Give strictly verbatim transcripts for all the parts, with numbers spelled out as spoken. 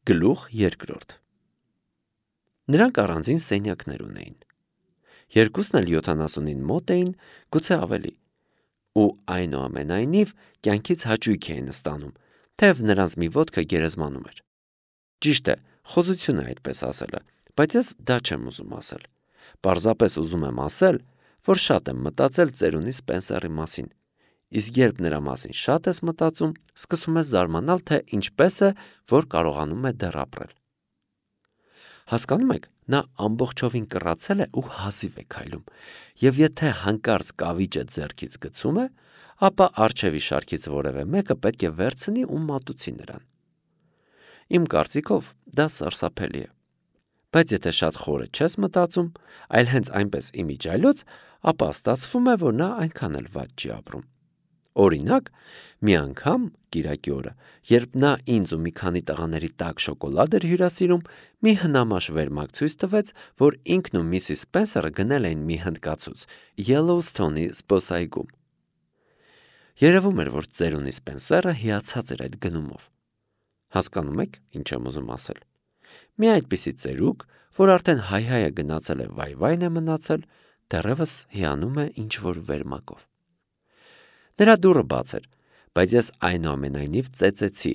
Գլուխ երկրորդ Նրանք առանձին սենյակներ ունեին։ Երկուսն էլ յոթանասունին մոտ էին, գուցե ավելի, ու այնուամենայնիվ կյանքից հաճույք էին ստանում, թեև նրանց մի ոտքը գերեզմանում էր։ Ճիշտ է, խոզություն է այդպես ասելը, բայց ես դա չեմ ուզում ասել։ Պարզապես ուզում եմ ասել, որ շատ եմ մտածել ծերունի Սպենսերի մասին, իսկ երբ նրա մասին շատ ես մտածում, սկսում ես զարմանալ, թե ինչպես է, որ կարողանում է դեռ ապրել։ Հասկանում եք, նա ամբողջովին կռացել է ու հազիվ է քայլում, եւ եթե հանկարծ կավիճը ձեռքից գցում է, ապա առջևի շարքից որևէ մեկը պետք է վերցնի ու մատուցի նրան։ Իմ կարծիքով դա սարսափելի է։ Բայց եթե շատ խորը չես մտածում, այլ հենց այնպես իմիջիայլոց, ապա ստացվում է, որ նա այնքան էլ վատ չի ապրում։ Օրինակ, մի անգամ կիրակի օրը, երբ նա ինձ ու մի քանի տղաների տաք շոկոլադ էր հյուրասիրում, մի հնամաշ վերմակ ցույց տվեց, որ ինքն ու միսիս Սպենսերը գնել էին մի հնդկացուց Յելլոուսթոնի զբոսայգում։ Երևում էր, որ ծերունի Սպենսերը հիացած էր այդ գնումով։ Հասկանում եք, ինչ եմ ուզում ասել։ Մի այդպիսի ծերուկ, որ արդեն հայ-հայը գնացել է վայ-վայն է մնացել, դեռևս հիանում է ինչ-որ վերմակով։ Նրա դուռը բաց էր, բայց ես այնուամենայնիվ ծեծեցի,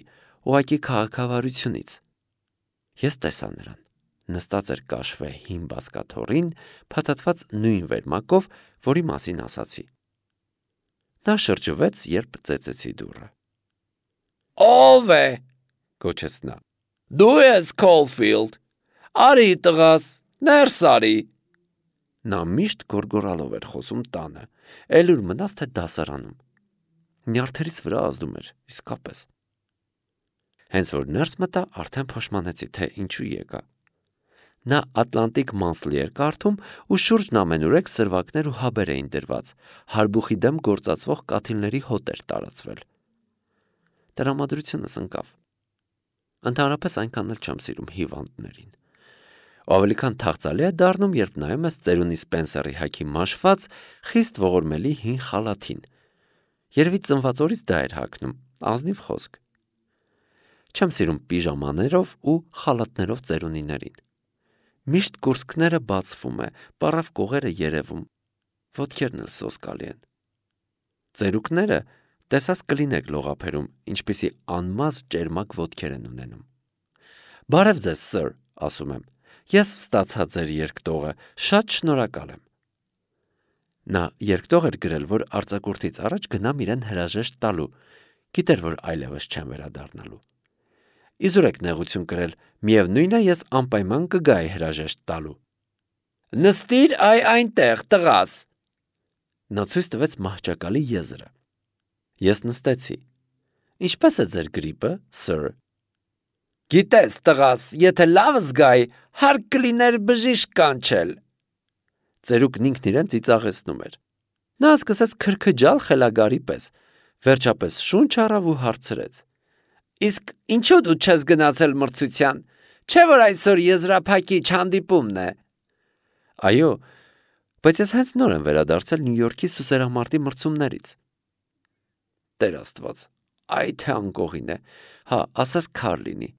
ուղղակի քաղաքավարությունից։ Ես տեսա նրան։ Նստած էր կաշվե հին բազկաթոռին, փաթաթված նույն վերմակով, որի մասին ասացի։ Նա շրջվեց, երբ ծեծեցի դուռը։ Ո՞վ է, գոչեց նա։ Դու ես Քոլֆիլդ։ Արի տղաս, ներս արի։ Նա միշտ գոռգոռալով էր խոսում տանը, էլ ուր մնաց թե դասարանում։ Նյարդերից վրա ազդում էր, իսկապես։ Հենց որ ներս մտա, արդեն փոշմանեցի, թե ինչու եկա։ Նա Ատլանտիկ Monthly էր կարդում ու շուրջն ամենուրեք սրվակներ ու հաբեր էին դրված, հարբուխի դեմ գործածվող կաթիլների հոտ էր տարածվել։ Տրամադրությունս ընկավ։ Ընդհանրապես այնքան էլ չեմ սիրում հիվանդներին։ Ավելի քան թախծալի է դառնում, երբ նայում ես ծերունի Սպենսերի հագի մաշված, խիստ ողորմելի հին խալաթին։ Երևի ծնված օրից դա էր հագնում, ազնիվ խոսք։ Չեմ սիրում պիժամաներով ու խալաթներով ծերունիներին։ Միշտ կուրծքները բացվում է, պառավ կողերը երևում, ոտքերն էլ սոսկալի են։ Ծերուկները տեսած կլինեք լողափերում, ինչպիսի անմազ ճերմակ ոտքեր են ունենում։ Բարև ձեզ, սըր, ասում եմ, ես ստացա ձեր երկտողը, շատ շնորհակալ եմ։ Նա երկտող էր գրել, որ արձակուրդից առաջ գնամ իրեն հրաժեշտ տալու, գիտեր, որ այլևս չեմ վերադառնալու։ Իզուր եք նեղություն կրել, միևնույն է, ես անպայման կգայի հրաժեշտ տալու։ Նստիր այ այնտեղ, տղաս։ Նա ցույց տվեց մահճակալի եզրը։ Ես նստեցի։ Ինչպես է ձեր գրիպը, սըր։ Գիտես, տղաս, եթե լավ զգայի, հարկ կլիներ բժիշկ կանչել։ Ծերուկն ինքն իրեն ծիծաղեցնում էր։ Նա սկսեց քրքջալ խելագարի պես, վերջապես շունչ առավ ու հարցրեց. Իսկ ինչու դու չես գնացել մրցության, չէ՞ որ այսօր եզրափակիչ հանդիպումն է։ Այո, բայց ես հենց նոր եմ վերադարձել Նյու Յորքի սուսերամարտի մրցումներից։ Տեր Աստված, այ թե անկողին է, հա, ասես քար լինի։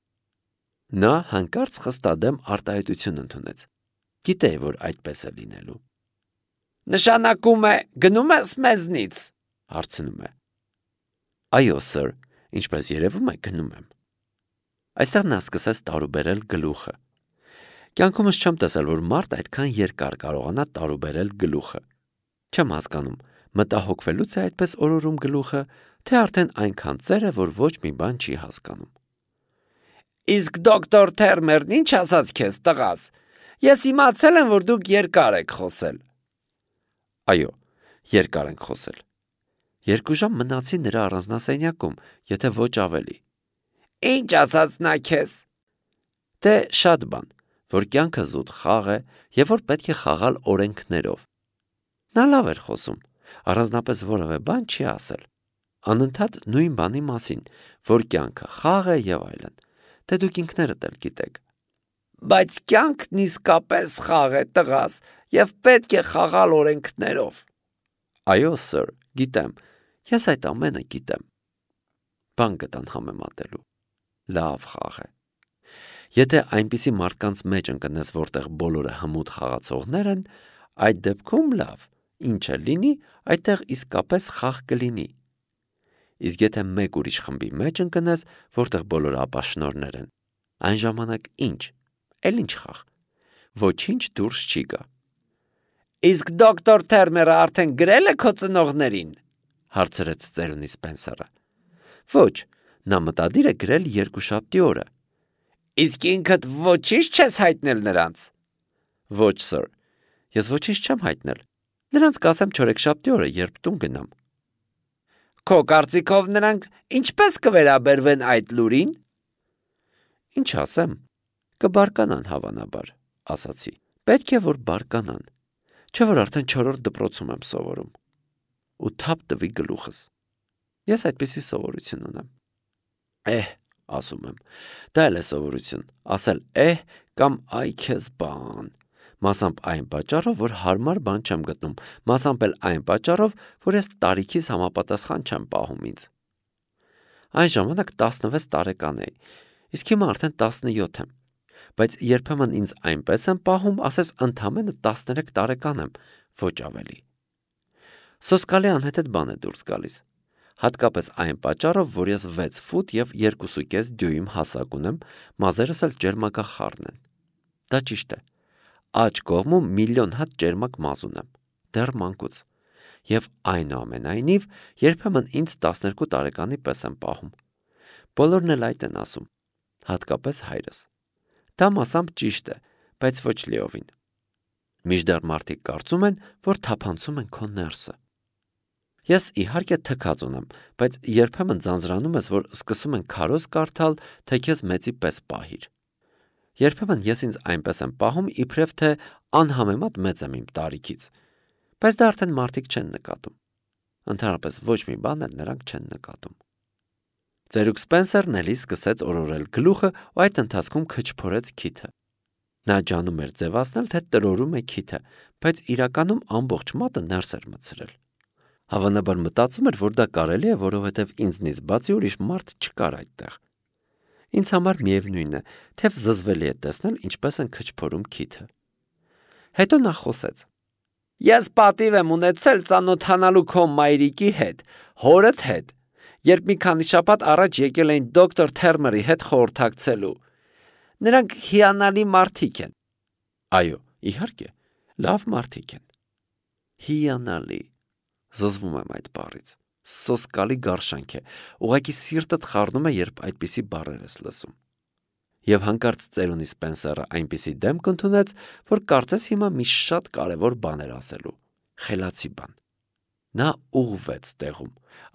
Նա հանկարծ խստադեմ արտահայտություն ընդունեց։ Գիտեի, որ այդպես է լինելու։ Նշանակում է, գնում ես մեզնից, հարցնում է։ Այո, սըր, ինչպես երևում է, գնում եմ։ Այստեղ նա սկսեց տարուբերել գլուխը։ Կյանքումս չեմ տեսել, որ մարդ այդքան երկար կարողանա տարուբերել գլուխը։ Չեմ հասկանում, մտահոգվելուց է այդպես օրորում գլուխը, թե արդեն այնքան ծեր է, որ ոչ մի բան չի հասկանում։ Իսկ դոկտոր Թերմերն ինչ ասաց քեզ, տղաս։ Ես իմացել եմ, որ դուք երկար եք խոսել։ Այո, երկար ենք խոսել։ Երկու ժամ մնացի նրա առանձնասենյակում, եթե ոչ ավելի։ Ինչ ասաց նա քեզ։ Դե շատ բան, որ կյանքը զուտ խաղ է եւ որ պետք է խաղալ օրենքներով։ Նա լավ էր խոսում, առանձնապես որևէ բան չի ասել։ Անընդհատ նույն բանի մասին, որ կյանքը խաղ է եւ այլն։ Դե դուք ինքներդ էլ գիտեք։ Բայց կյանքն իսկապես խաղ է, տղաս, եւ պետք է խաղալ օրենքներով։ Այո, սըր, գիտեմ, ես այդ ամենը գիտեմ։ Բան գտան համեմատելու։ Լավ խաղ է։ Եթե այնպիսի մարդկանց մեջ ընկնես, որտեղ բոլորը հմուտ խաղացողներ են, այդ դեպքում լավ, ինչը լինի, այդտեղ իսկապես խաղ կլինի։ Իսկ եթե մեկ ուրիշ խմբի մեջ ընկնես, որտեղ բոլորը ապաշնորհներ են, այն ժամանակ ինչ, էլ ինչ խաղ, ոչինչ դուրս չի գա։ Իսկ դոկտոր Թերմերը արդեն գրել է քո ծնողներին, հարցրեց ծերունի Սպենսերը։ Ոչ, նա մտադիր է գրել երկուշաբթի օրը։ Իսկ ինքդ ոչինչ չես հայտնել նրանց։ Ոչ, սir, ես ոչինչ չեմ հայտնել։ Նրանց կասեմ չորեքշաբթի օրը, երբ տուն գնամ։ Քո կարծիքով նրանք ինչպես կվերաբերվեն այդ լուրին։ Ինչ ասեմ, կբարկանան հավանաբար, ասացի։ Պետք է որ բարկանան, չէ որ արդեն չորրորդ դպրոցում եմ սովորում։ Ու թափ տվի գլուխս։ Ես այդպիսի սովորություն ունեմ։ Էհ, ասում եմ, դա էլ է սովորություն, ասել էհ կամ այ քեզ բան։ Մասամբ այն պատճառով, որ հարմար բան չեմ գտնում, մասամբ էլ այն պատճառով, որ ես տարիքիս համապատասխան չեմ պահում ինձ։ Այն ժամանակ տասնվեց տարեկան էի, իսկ հիմա արդեն տասնյոթ եմ, բայց երբեմն ինձ այնպես եմ պահում, ասես ընդամենը տասներեք տարեկան եմ, ոչ ավելի։ Սոսկալի անհեթեթ բան է դուրս գալիս, հատկապես այն պատճառով, որ ես վեց ֆուտ և երկուսուկես դյույմ հասակ ունեմ, մազերս էլ ջերմակախառն են։ Դա ճիշտ է։ Աջ կողմում միլիոն հատ ջերմակ մազ ունեմ, դեռ մանկուց, և այնուամենայնիվ երբեմն ինձ տասներկու տարեկանի պես եմ պահում։ Բոլորն էլ այդ են ասում, հատկապես հայրս։ Դա մասամբ ճիշտ է, բայց ոչ լիովին։ Մինչդեռ մարդիկ կարծում են, որ թափանցում են քո ներսը։ Ես իհարկե թքած ունեմ, բայց երբեմն ձանձրանում ես, որ սկսում են քարոզ կարդալ, թե քեզ մեծի պես պահիր։ Երբեմն ես ինձ այնպես եմ պահում, իբրև թե անհամեմատ մեծ եմ իմ տարիքից, բայց դա արդեն մարդիկ չեն նկատում։ Ընդհանրապես ոչ մի բան էլ նրանք չեն նկատում։ Ծերուկ Սպենսերն էլի սկսեց օրորել գլուխը ու այդ ընթացքում քչփորեց քիթը։ Նա ջանում էր ձևացնել, թե տրորում է քիթը, բայց իրականում ամբողջ մատը ներս էր մտցրել։ Հավանաբար մտածում էր, որ դա կարելի է, որովհետև ինձնից բացի ուրիշ մարդ չկար այդտեղ։ Ինձ համար միևնույն է, թեև զզվելի է տեսնել, ինչպես են քչփորում քիթը։ Հետո նա խոսեց. Ես պատիվ եմ ունեցել ծանոթանալու քո մայրիկի հետ, հորդ հետ, երբ մի քանի շաբաթ առաջ եկել էին դոկտոր Թերմերի հետ խորհրդակցելու։ Նրանք հիանալի մարդիկ են։ Այո, իհարկե, լավ մարդիկ են։ Հիանալի։ Զզվում եմ այդ բառից։ Սոսկալի գարշանք է, ուղղակի սիրտդ խառնում է, երբ այդպիսի բառեր ես լսում։ Եվ հանկարծ ծերունի Սպենսերը այնպիսի դեմք ընդունեց, որ կարծես հիմա մի շատ կարևոր բան էր ասելու, խելացի բան։ Նա ուղղվեց տեղում,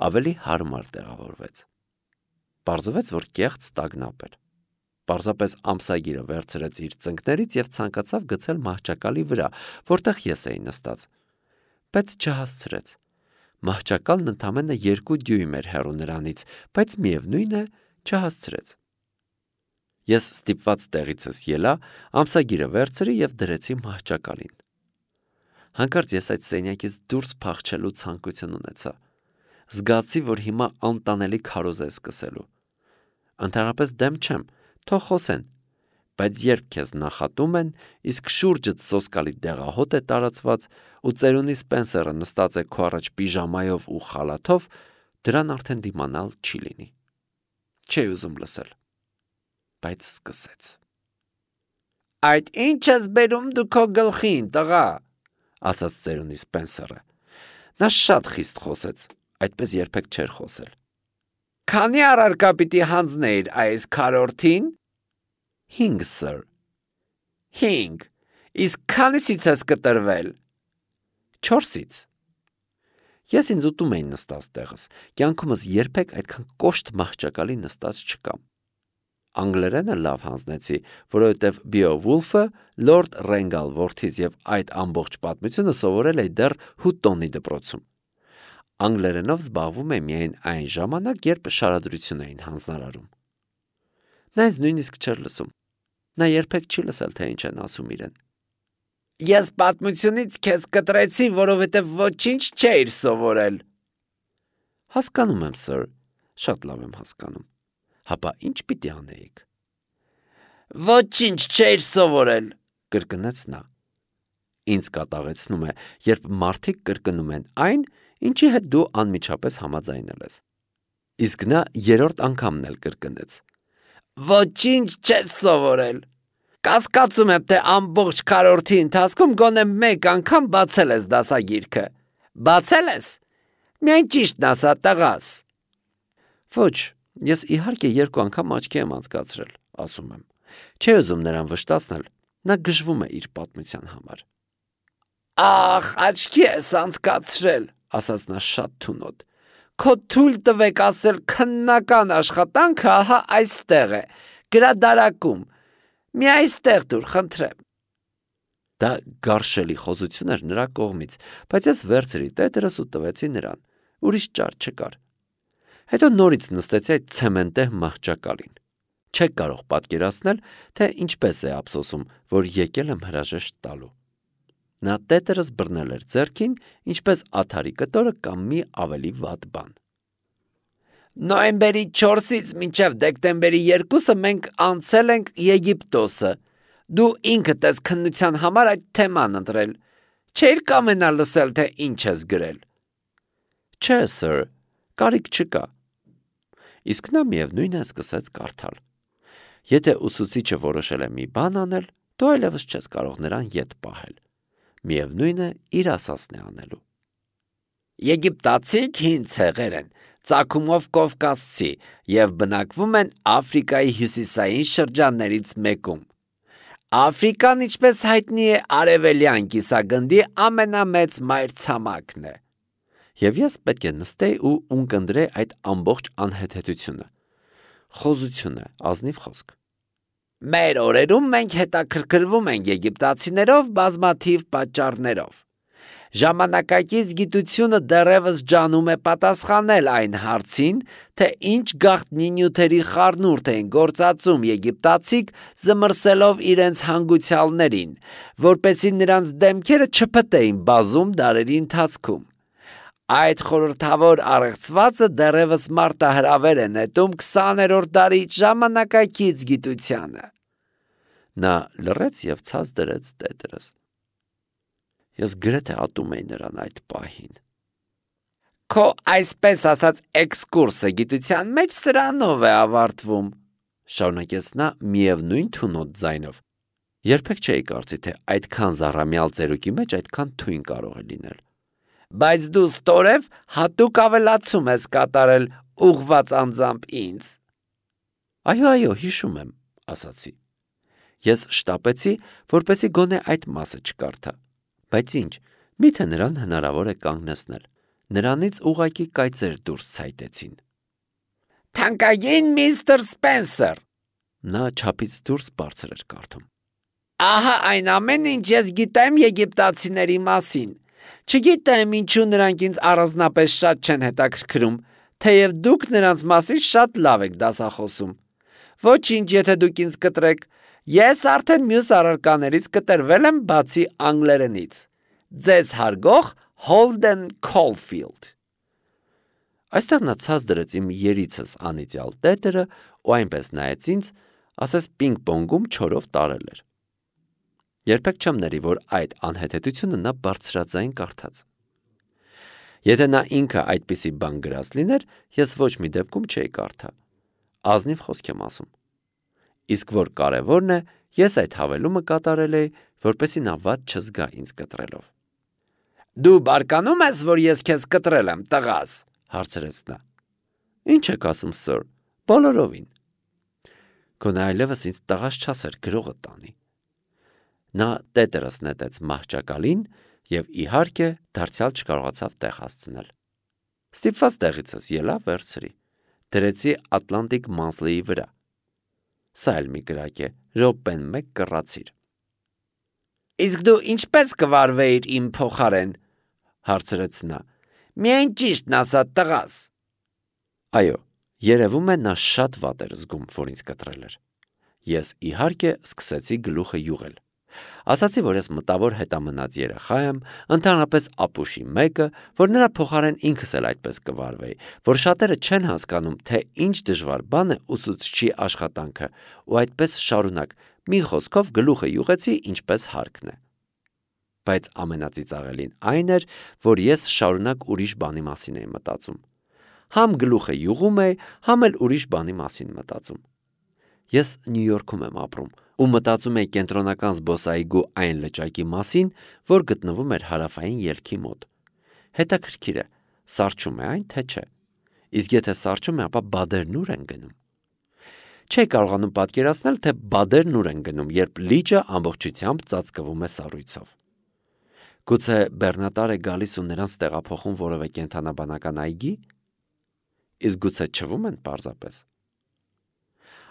ավելի հարմար տեղավորվեց։ Պարզվեց, որ կեղծ տագնապ էր։ Պարզապես ամսագիրը վերցրեց իր ծնկներից և ցանկացավ գցել մահճակալի վրա, որտեղ ես էի նստած, բայց չհասցրեց։ Մահճակալն ընդամենը երկու դյույմ էր հեռու նրանից, բայց միևնույն է, չհասցրեց։ Ես ստիպված տեղիցս ելա, ամսագիրը վերցրի և դրեցի մահճակալին։ Հանկարծ ես այդ սենյակից դուրս փախչելու ցանկություն ունեցա։ Զգացի, որ հիմա անտանելի քարոզ է սկսելու։ Ընդհանրապես դեմ չեմ, թող խոսեն, բայց երբ քեզ նախատում են, իսկ շուրջդ սոսկալի դեղահոտ է տարածված, ու ծերունի Սպենսերը նստած է քո առաջ պիժամայով ու խալաթով, դրան արդեն դիմանալ չի լինի։ Չէի ուզում լսել, բայց սկսեց։ Այդ ինչ ես բերում դու քո գլխին, տղա, ասաց ծերունի Սպենսերը։ Նա շատ խիստ խոսեց, այդպես երբեք չէր խոսել։ Քանի առարկա պիտի հանձնեիր այս քառորդին։ Հինգ, սir։ Հինգ։ Իսկ քանիսից ես կտրվել։ Չորսից։ Ես ինձ ուտում էի նստած տեղս, կյանքումս երբեք այդքան կոշտ մահճակալի նստած չկամ։ Անգլերենը լավ հանձնեցի, որովհետև Բեովուլֆը, Լորդ Ռենգալ որդիս և այդ ամբողջ պատմությունը սովորել էի դեռ Հուտոնի դպրոցում։ Անգլերենով զբաղվում էի միայն այն ժամանակ, երբ շարադրություն էին հանձնարարում։ Նա ինձ նույնիսկ չէր լսում։ Նա երբեք չի լսել, թե ինչ են ասում իրեն։ Ես պատմությունից քեզ կտրեցի, որովհետև ոչինչ չէիր սովորել։ Հասկանում եմ, սir, շատ լավ եմ հասկանում։ Հապա ինչ պիտի անեիք։ Ոչինչ չէր սովորել, կրկնեց նա։ Ինձ կատաղեցնում է, երբ մարդիկ կրկնում են այն, ինչի հետ դու անմիջապես համաձայնել ես։ Իսկ նա երրորդ անգամն էլ կրկնեց. Ոչինչ չես սովորել։ Կասկածում եմ, թե ամբողջ քառորդի ընթացքում գոնե մեկ անգամ բացել ես դասագիրքը։ Բացել ես։ Միայն ճիշտն ասա, տղաս։ Ոչ, ես իհարկե երկու անգամ աչքի եմ անցկացրել, ասում եմ։ Չէ ուզում նրան վշտացնել, նա գժվում է իր պատմության համար։ Ախ, աչքի ես անցկացրել, ասաց նա շատ թունոտ։ Քո թույլ տվեք ասել քննական աշխատանքը ահա այստեղ է, գրադարակում։ Մի այստեղ դուր, խնդրեմ։ Դա գարշելի խոզություն էր նրա կողմից, բայց ես վերցրի տետերս ու տվեցի նրան, ուրիշ ճար չկար։ Հետո նորից նստեցի այդ ցեմենտե մահճակալին։ Չեք կարող պատկերացնել, թե ինչպես է ափսոսում, որ եկել եմ հրաժեշտ տալու։ Նա տետերս բռնել էր ձեռքին, ինչպես աթարի կտորը կամ մի ավելի վատ բան։ Նոյեմբերի չորսից մինչև դեկտեմբերի երկուսը մենք անցել ենք Եգիպտոսը։ Դու ինքդ ես քննության համար այդ թեման ընտրել։ Չէիր կամենա լսել, թե ինչ ես գրել։ Չէ, սըր, կարիք չկա։ Իսկ նա միևնույն է սկսեց կարդալ։ Եթե ուսուցիչը որոշել է մի բան անել, դու այլևս չես կարող նրան ետ պահել։ Միևնույն է իր ասածն է անելու։ Եգիպտացիք հին ցեղեր են, ծագումով կովկասցի եւ բնակվում են Աֆրիկայի հյուսիսային շրջաններից մեկում։ Աֆրիկան, ինչպես հայտնի է, արևելյան կիսագնդի ամենամեծ մայրցամաքն է։ Եվ ես պետք է նստեի ու ունկնդրեի այդ ամբողջ անհեթեթությունը։ Խոզություն է, ազնիվ խոսք։ Մեր օրերում մենք հետաքրքրվում ենք եգիպտացիներով բազմաթիվ պատճառներով։ Ժամանակակից գիտությունը դեռևս ջանում է պատասխանել այն հարցին, թե ինչ գաղտնի նյութերի խառնուրդ էին գործածում եգիպտացիք զմռսելով իրենց հանգուցյալներին, որպեսզի նրանց դեմքերը չփտեին բազում դարերի ընթացքում։ Այդ խորհրդավոր առեղծվածը դեռևս մարտահրավեր է նետում քսաներորդ դարի ժամանակակից գիտությանը։ Նա լռեց և ցած դրեց տետերս։ Ես գրեթե ատում էի նրան այդ պահին։ Քո այսպես ասած էքսկուրսը գիտության մեջ սրանով է ավարտվում, շարունակեց նա միևնույն թունոտ ձայնով։ Երբեք չէի կարծի, թե այդքան զառամյալ ծերուկի մեջ այդքան թույն կարող է լինել։ Բայց դու ստորև հատուկ ավելացում ես կատարել ուղղված անձամբ ինձ։ Այո, այո, հիշում եմ, ասացի։ Ես շտապեցի, որպեսզի գոնե այդ մասը չկարդա։ Բայց ինչ, միթե նրան հնարավոր է կանգնեցնել։ Նրանից ուղղակի կայծեր դուրս ցայտեցին։ Թանկագին միստր Սպենսեր, նա չափից դուրս բարձր էր կարդում։ Ահա այն ամեն ինչ ես գիտեմ եգիպտացիների մասին։ Չգիտեմ ինչու նրանք ինձ առանձնապես շատ չեն հետաքրքրում, թեև դուք նրանց մասին շատ լավ եք դասախոսում։ Ոչինչ, եթե դուք ինձ կտրեք, ես արդեն մյուս առարկաներից կտրվել եմ բացի անգլերենից։ Ձեզ հարգող Holden Caulfield։ Այստեղ նա ցած դրեց իմ երիցս անիծյալ տետերը ու այնպես նայեց ինձ, ասես պինգ-պոնգում չորով տարել էր։ Երբեք չեմ ների, որ այդ անհեթեթությունը նա բարձրաձայն կարդաց։ Եթե նա ինքը այդպիսի բան գրած լիներ, ես ոչ մի դեպքում չէի կարդա։ Ազնիվ խոսք եմ ասում։ Իսկ որ կարևորն է, ես այդ հավելումը կատարել էի, որպեսզի նա վատ չզգա ինձ կտրելով։ Դու բարկանում ես, որ ես քեզ կտրել եմ, տղաս, հարցրեց նա։ Ինչ եք ասում, սըր, բոլորովին։ Գոնե այլևս ինձ տղաս չասեր գրողը տանի։ Նա տետերս նետեց մահճակալին և իհարկե դարձյալ չկարողացավ տեղ հասցնել։ Ստիպված տեղիցս ելա վերցրի, դրեցի Atlantic Monthly-ի վրա։ Սա էլ մի գրակ է, րոպեն մեկ կռացիր։ Իսկ դու ինչպես կվարվեիր իմ փոխարեն, հարցրեց նա։ Միայն ճիշտն ասա, տղաս։ Այո, երևում է նա շատ վատ էր զգում, որ ինձ կտրել էր։ Ես իհարկե սկսեցի գլուխը յուղել։ Ասացի, որ ես մտավոր հետամնաց երեխա եմ, ընդհանրապես ապուշի մեկը, որ նրա փոխարեն ինքս էլ այդպես կվարվեի, որ շատերը չեն հասկանում, թե ինչ դժվար բան է ուսուցչի աշխատանքը, ու այդպես շարունակ, մի խոսքով գլուխը յուղեցի, ինչպես հարկն է։ Բայց ամենածիծաղելին այն էր, որ ես շարունակ ուրիշ բանի մասին էի մտածում։ Համ գլուխը յուղում էի, համ էլ ուրիշ բանի մասին մտածում։ Ես Նյու Յորքում եմ ապրում ու մտածում էի կենտրոնական զբոսայգու այն լճակի մասին, որ գտնվում էր հարավային ելքի մոտ։ Հետաքրքիր է, սառչում է այն, թե չէ։ Իսկ եթե սառչում է, ապա բադերն ուր են գնում։ Չէի կարողանում պատկերացնել, թե բադերն ուր են գնում, երբ լիճը ամբողջությամբ ծածկվում է սառույցով։ Գուցե բեռնատար է գալիս ու նրանց տեղափոխում որևէ կենդանաբանական այգի։ Իսկ գուցե չվում են պարզապես։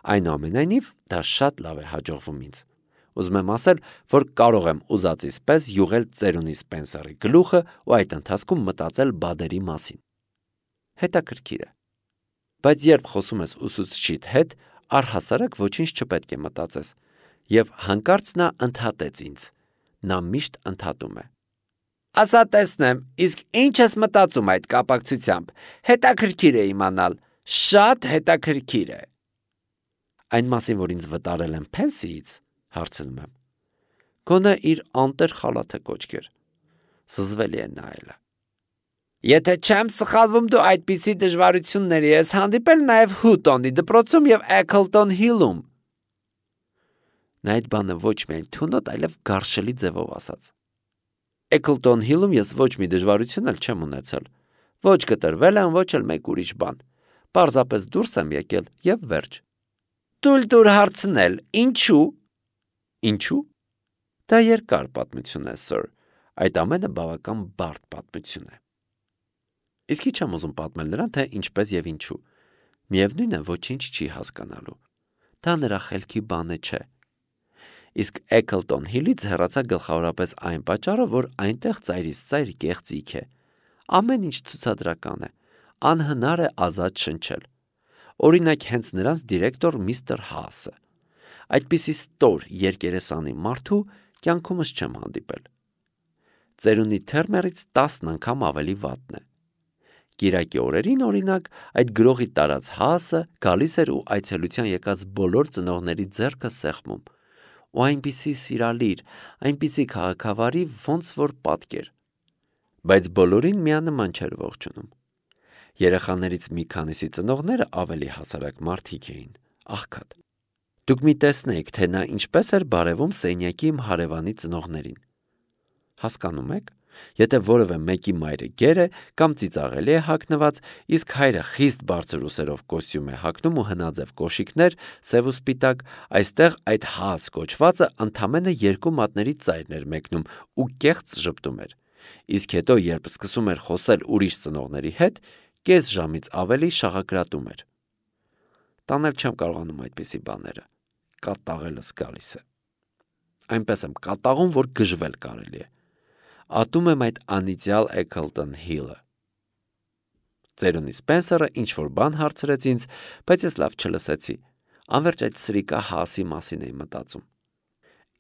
Այնուամենայնիվ, դա շատ լավ է հաջողվում ինձ։ Ուզում եմ ասել, որ կարող եմ ուզածիս պես յուղել ծերունի Սպենսերի գլուխը ու այդ ընթացքում մտածել բադերի մասին։ Հետաքրքիր է։ Բայց երբ խոսում ես ուսուցչիդ հետ, առհասարակ ոչինչ չպետք է մտածես։ Եվ հանկարծ նա ընդհատեց ինձ։ Նա միշտ ընդհատում է։ Ասա տեսնեմ, իսկ ինչ ես մտածում այդ կապակցությամբ։ Հետաքրքիր է իմանալ, շատ հետաքրքիր է։ Այն մասին, որ ինձ վտարել են Փենսիից, հարցնում եմ։ Գոնե իր անտեր խալաթը կոչկեր։ Զզվելի է նայելը։ Եթե չեմ սխալվում, դու այդպիսի դժվարությունների ես հանդիպել նաև Հուտոնի դպրոցում եւ Էքլտոն Հիլում։ Նա այդ բանը ոչ միայն թունոտ, այլև գարշելի ձևով ասաց։ Էքլտոն Հիլում ես ոչ մի դժվարություն էլ չեմ ունեցել։ Ոչ կտրվել եմ, ոչ էլ մեկ ուրիշ բան։ Պարզապես դուրս եմ եկել եւ վերջ։ Տուլ տուր հարցնել, ինչու։ Ինչու։ Դա երկար պատմություն է, սըր։ Այդ ամենը բավական բարդ պատմություն է։ Իսկ ի՞նչ եմ ուզում պատմել նրան, թե ինչպես եւ ինչու։ Միևնույն է, ոչինչ չի հասկանալու։ Դա նրա խելքի բանը չէ։ Իսկ Էքլտոն Հիլից հեռացա գլխավորապես այն պատճառով, որ այնտեղ ծայրից ծայր կեղծիք է։ Ամեն ինչ ցուցադրական է։ Անհնար է ազատ շնչել։ Օրինակ հենց նրանց դիրեկտոր միստր Հասը։ Այդպիսի ստոր երկերեսանի մարդու կյանքումս չեմ հանդիպել։ Ծերունի Թերմերից տասն անգամ ավելի վատն է։ Կիրակի օրերին, օրինակ, այդ գրողի տարած Հասը գալիս էր ու այցելության եկած բոլոր ծնողների ձեռքը սեղմում։ Ու այնպիսի սիրալիր, այնպիսի քաղաքավարի ոնց որ պատկեր։ Բայց բոլորին միանման չէր ողջունում։ Երեխաներից մի քանիսի ծնողները ավելի հասարակ մարդիկ էին, աղքատ։ Դուք մի տեսնեիք, թե նա ինչպես էր բարևում սենյակի իմ հարևանի ծնողներին։ Հասկանում եք, եթե որևէ մեկի մայրը գեր է կամ ծիծաղելի է հագնված, իսկ հայրը խիստ բարձր ուսերով կոստյում է հագնում ու հնաձև կոշիկներ, սև ու սպիտակ, այստեղ այդ Հաս կոչվածը ընդամենը երկու մատների ծայրն էր մեկնում ու կեղծ ժպտում էր։ Իսկ հետո, երբ սկսում էր խոսել ուրիշ ծնողների հետ, կես ժամից ավելի շաղակրատում էր։ Տանել չեմ կարողանում այդպիսի բաները։ Կատաղելս գալիս է։ Այնպես եմ կատաղում, որ գժվել կարելի է։ Ատում եմ այդ անիծյալ Էքլտոն Հիլը։ Ծերունի Սպենսերը ինչ-որ բան հարցրեց ինձ, բայց ես լավ չլսեցի։ Անվերջ այդ սրիկա Հասի մասին էի մտածում։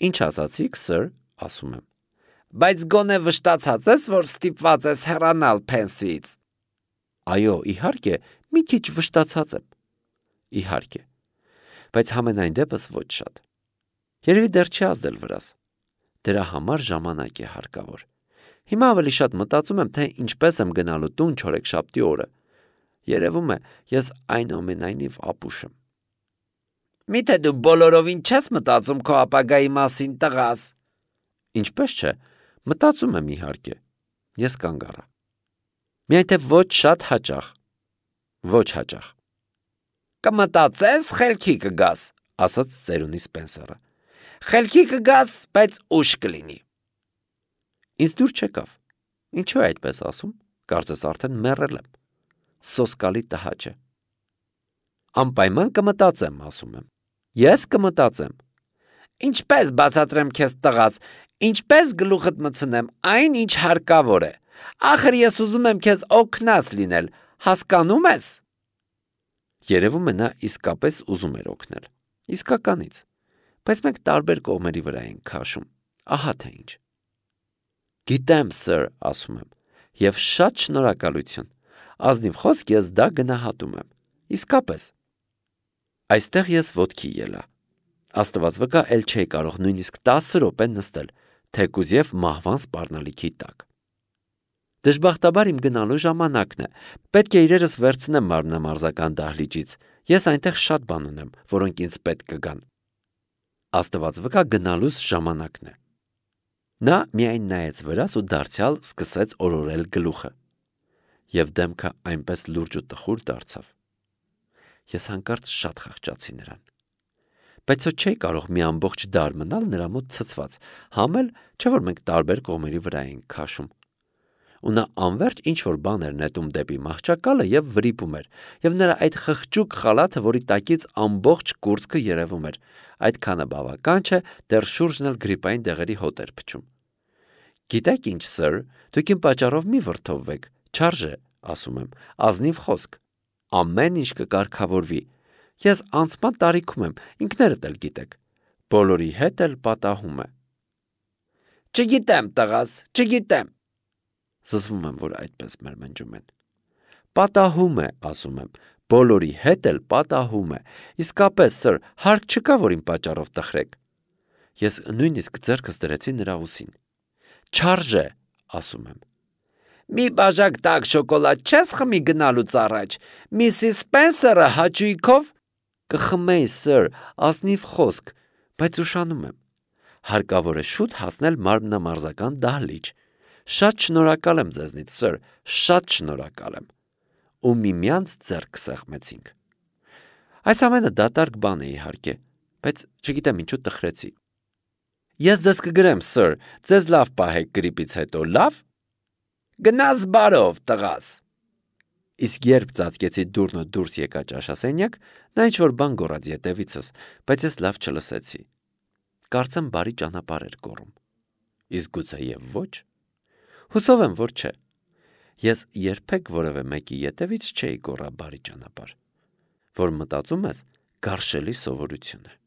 Ինչ ասացիք, սըր, ասում եմ։ Բայց գոնե վշտացած ես, որ ստիպված ես հեռանալ Փենսիից։ Այո, իհարկե, մի քիչ վշտացած եմ։ Իհարկե։ Բայց համենայն դեպս ոչ շատ։ Երևի դեռ չի ազդել վրաս։ Դրա համար ժամանակ է հարկավոր։ Հիմա ավելի շատ մտածում եմ, թե ինչպես եմ գնալու տուն չորեքշաբթի օրը։ Երևում է, ես այնուամենայնիվ ապուշ եմ։ Միթե դու բոլորովին չես մտածում քո ապագայի մասին, տղաս։ Ինչպես չէ, մտածում եմ իհարկե։ Ես կանգ առա։ Միայն թե ոչ շատ հաճախ։ Ոչ հաճախ։ Կմտածես, խելքի կգաս, ասաց ծերունի Սպենսերը։ Խելքի կգաս, բայց ուշ կլինի։ Ինձ դուր չեկավ։ Ինչու է այդպես ասում։ Կարծես արդեն մեռել եմ։ Սոսկալի տհաճ է։ Անպայման կմտածեմ, ասում եմ։ Ես կմտածեմ։ Ինչպես բացատրեմ քեզ, տղաս, ինչպես գլուխդ մտցնեմ այն, ինչ հարկավոր է։ Ախր ես ուզում եմ քեզ օգնած լինել, հասկանում ես։ Երևում է նա իսկապես ուզում էր օգնել։ Իսկականից։ Բայց մենք տարբեր կողմերի վրա ենք քաշում։ Ահա թե ինչ։ Գիտեմ, sir, ասում եմ, եւ շատ շնորհակալություն։ Ազնիվ խոսք ես դա գնահատում եմ։ Իսկապես։ Այստեղ ես ոտքի ելա։ Աստված վկա, էլ չէի կարող նույնիսկ տասը րոպե նստել, թեկուզ եւ մահվան սպառնալիքի տակ։ Դժբախտաբար իմ գնալու ժամանակն է։ Պետք է իրերս վերցնեմ մարմնամարզական դահլիճից։ Ես այնտեղ շատ բան ունեմ, որոնք ինձ պետք կգան։ Աստված վկա, գնալուս ժամանակն է։ Նա միայն նայեց վրաս ու դարձյալ սկսեց օրորել գլուխը։ Եվ դեմքը այնպես լուրջ ու տխուր դարձավ։ Ես հանկարծ շատ խղճացի նրան։ Բայց ոչ չէի կարող մի ամբողջ դար մնալ նրա մոտ ցցված, համ էլ չէ որ մենք տարբեր կողմերի վրա էինք քաշում։ Ու նա անverջ ինչ-որ բան էր նետում դեպի մահճակալը եւ վրիպում էր, եւ նրա այդ խղճուկ խալաթը, որի տակից ամբողջ կուրծքը երևում էր, այդքանը բավական չէ, դեռ շուրջն էլ գրիպային դեղերի հոտ էր փչում։ Գիտեք ինչ, sir, դուք իմ պատճառով մի վրդովվեք, չարժե, ասում եմ, ազնիվ խոսք։ Ամեն ինչ կկարգավորվի։ Ես անցման տարիքում եմ, ինքներդ էլ գիտեք։ Բոլորի հետ էլ պատահում է։ Չգիտեմ, տղաս, չգիտեմ։ Զզվում եմ, որ այդպես մերմնջում են։ Պատահում է, ասում եմ, բոլորի հետ էլ պատահում է։ Իսկապես, sir, հարկ չկա, որ իմ պատճառով տխրեք։ Ես նույնիսկ ձեռքս դրեցի նրա ուսին։ Չարժե, ասում եմ։ Մի բաժակ տաք շոկոլադ չես խմի գնալուց առաջ։ Միսիս Սպենսերը հաճույքով կխմեի, sir, ազնիվ խոսք, բայց ուշանում եմ։ Հարկավոր է շուտ հասնել մարմնամարզական դահլիճ։ Շատ շնորհակալ եմ ձեզնից, sir, շատ շնորհակալ եմ։ Ու միմյանց ձեռք սեղմեցինք։ Այս ամենը դատարկ բան է իհարկե, բայց չգիտեմ ինչու տխրեցի։ Ես ձեզ կգրեմ, sir, ձեզ լավ պահեք գրիպից հետո, լավ։ Գնաս բարով, տղաս։ Իսկ երբ ծածկեցի դուռն ու դուրս եկա ճաշասենյակ, նա ինչ-որ բան գոռաց ետևիցս, բայց ես լավ չլսեցի։ Կարծեմ բարի ճանապարհ էր գոռում։ Իսկ գուցե եւ ոչ։ Հուսով եմ, որ չէ։ Ես երբեք որևէ մեկի ետևից չէի գոռա բարի ճանապարհ, որ մտածում ես գարշելի սովորություն է։